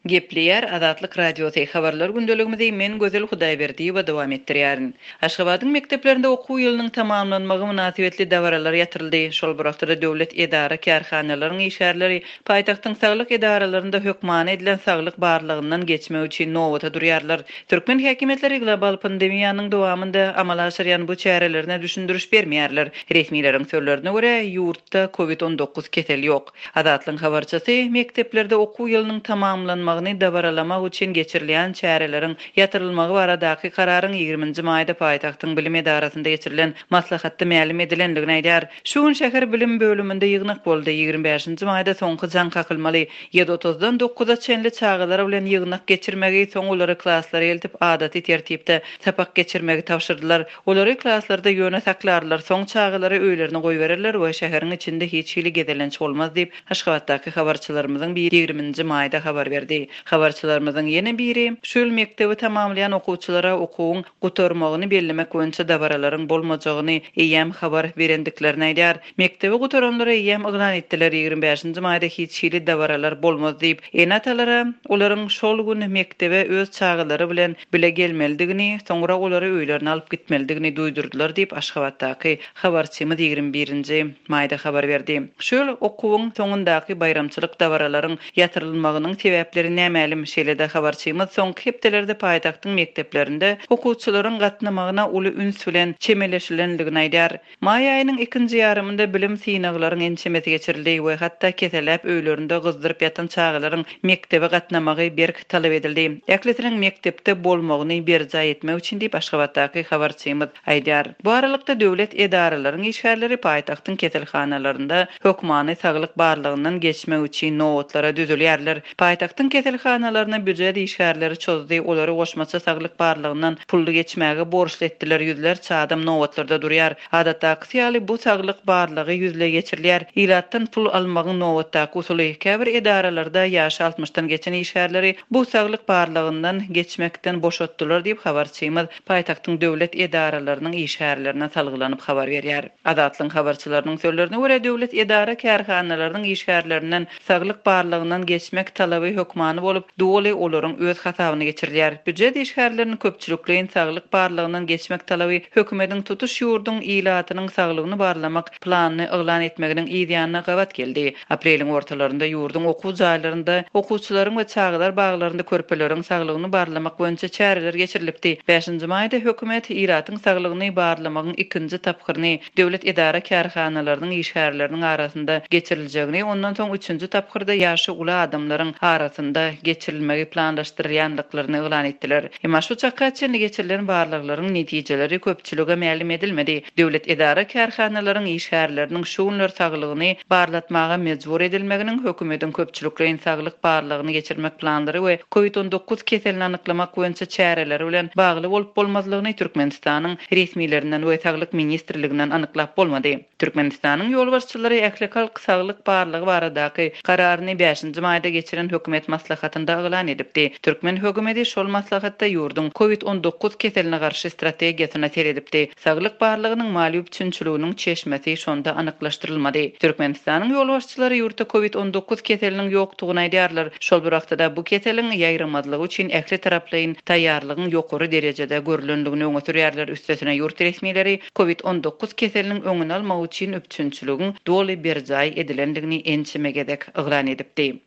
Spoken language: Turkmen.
Gepleýär Azatlyk Radiosy, Habarlar gündeligimizi men Gözel Hudaýberdiýewa dowam etdirýärin. Aşgabadyň mekdeplerinde okuw ýylynyň tamamlanmagy mynasybetli dabaralar ýatyryldy. Şol bir wagtda-da döwlet edara-kärhanalaryň işgärleri paýtagtyň saglyk edaralarynda hökmany edilen saglyk barlagyndan geçmek üçin nobata durýarlar. Türkmen häkimiýetleri global pandemiýanyň dowamynda amala aşyrýan bu çärelerine düşündiriş bermeýärler. Resmileriň sözlerine görä, ýurtda covid 19 keseli ýok. Azatlygyň habarçysy mekdeplerde okuw ýylynyň tamamlanmagyny dabaralamak üçin geçirilýän çäreleriň ýatyrylmagy baradaky kararyň ýigriminji maýda paýtagtyň bilim edarasynda geçirilen maslahatda mälim edilendigini aýdýar. Şu gün şäher bilim bölüminde ýygnak boldy. Ýigrimi bäşinji maýda soňky jaň kakylmaly. Ýedi otuzdan dokuza çenli çagalar bilen ýygnak geçirmegi, soň olary klaslara eltip adaty tertipde sapak geçirmegi tabşyrdylar. Olary klaslarda ýöne saklarlar, soň çagalary öýlerine goýbererler we şäheriň içinde hiç hili gezelenç bolmaz diýip, Aşgabatdaky habarçylarymyzyň biri ýigriminji maýda habar berdi. Habarçylarymyzyň ýene biri şu ýyl mekdebi tamamlaýan okuwçylara okuwyň gutarmagyny bellemek boýunça dabaralaryň bolmajagyny eýýäm habar berendiklerini aýdýar. Mekdebi gutaranlara eýýäm yglan etdiler, 25-nji maýda hiç hili dabaralar bolmaz diýip, ene-atalara olaryň şol gün mekdebe öz çagalary bilen bile gelmelidigini, soňra olary öýlerine alyp gitmelidigini duýdurdylar diýip, Aşgabatdaky habarçymyz 21-nji maýda habar berdi. Şu ýyl okuwyň soňundaky baýramçylyk dabaralaryň ýatyrylmagynyň sebäpleri nämälim. Şeýle-de habarçymyz soňky hepdelerde paýtagtyň mekdeplerinde okuwçylaryň gatnamagyna uly üns bilen çemeleşilendigini aýdýar. Maý aýynyň ikinji ýarymynda bilim synaglaryň ençemesi geçirildi we hatda keselläp öýlerinde gyzdyryp ýatan çagalaryň mekdebe gatnamagy berk talap edildi. Ählisiniň mekdepde bolmagyny berjaý etmek üçin diýip, Aşgabatdaky habarçymyz aýdýar. Bu aralykda, döwlet edaralaryň işgärleri paýtagtyň keselhanalarynda hökmany saglyk barlagyndan geçmek üçin nobatlara düzülýärler. Paýtagtyň keselhanalaryna býujet işgärleri çozdy, olary goşmaça saglyk barlagyndan pully geçmäge borçly etdiler, ýüzlerçe adam nobatlarda durýar. Adatdakysy ýaly, bu saglyk barlagy ýüzleý geçirilýär. Ilatdan pul almagyň nobatdaky usuly. Käbir edaralarda ýaşy altmyşdan geçen işgärleri bu saglyk barlagyndan geçmekden boşatdylar diýip, habarçymyz paýtagtyň döwlet edaralarynyň işgärlerine salgylanyp habar berýär. Azatlygyň habarçylarynyň sözlerine görä, döwlet edara-kärhanalarynyň işgärlerinden saglyk barlagyndan geçmek talaby hökmany bolup, doly olaryň öz hasabyna geçirilýär. Býujet işgärleriniň köpçülikleýin saglyk barlagyndan geçmek talaby hökümetiň tutuş ýurduň ilatynyň saglygyny barlamak planyny yglan etmeginiň yz ýanyna gabat geldi. Apreliň ortalarynda ýurduň okuw jaýlarynda okuwçylaryň we çagalar baglarynda körpeleriň saglygyny barlamak boýunça çäreler geçirilipdi. Bäşinji maýda hökümet ilatyň saglygyny barlamagyň ikinji tapgyryny döwlet edara-kärhanalarynyň işgärleriniň arasynda geçiriljegini, ondan soň üçünji tapgyrda ýaşy uly adamlaryň arasynda geçirilmegi planlaşdyrylýandyklaryny yglan etdiler. Emma şu çaka çenli geçirilen barlaglaryň netijeleri köpçülige mälim edilmedi. Döwlet edara-kärhanalaryň işgärleriniň şu günler saglygyny barlatmaga mejbur edilmeginiň hökümetiň köpçülikleýin saglyk barlagyny geçirmek planlary we covid 19 keselini anyklamak boýunça çäreleri bilen bagly bolup-bolmazlygyny Türkmenistanyň resmilerinden we Saglyk ministrliginden anyklap bolmady. Türkmenistanyň ýolbaşçylary ählihalk saglyk barlagy baradaky kararyny bäşinji maýda geçiren hökümet maslahatynda yglan edipdi. Türkmen hökümeti şol maslahatda ýurduň covid 19 keseline garşy strategiýasyna seredipdi. Saglyk barlagynyň maliýe üpjünçiliginiň çeşmesi şonda anyklaşdyrylmady. Türkmenistanyň ýolbaşçylary ýurtda covid 19 keseliniň ýokdugyny aýdýarlar. Şol bir wagtda-da bu keseliň ýaýramazlygy üçin ähli taraplaýyn taýýarlygyň ýokary derejede görlendigini öňe sürýärler. Üstesine ýurt resmileri covid 19 keseliniň öňüni almak üçin üpjünçiligiň doly berjaý edilendigini ençeme gezek yglan edipdi.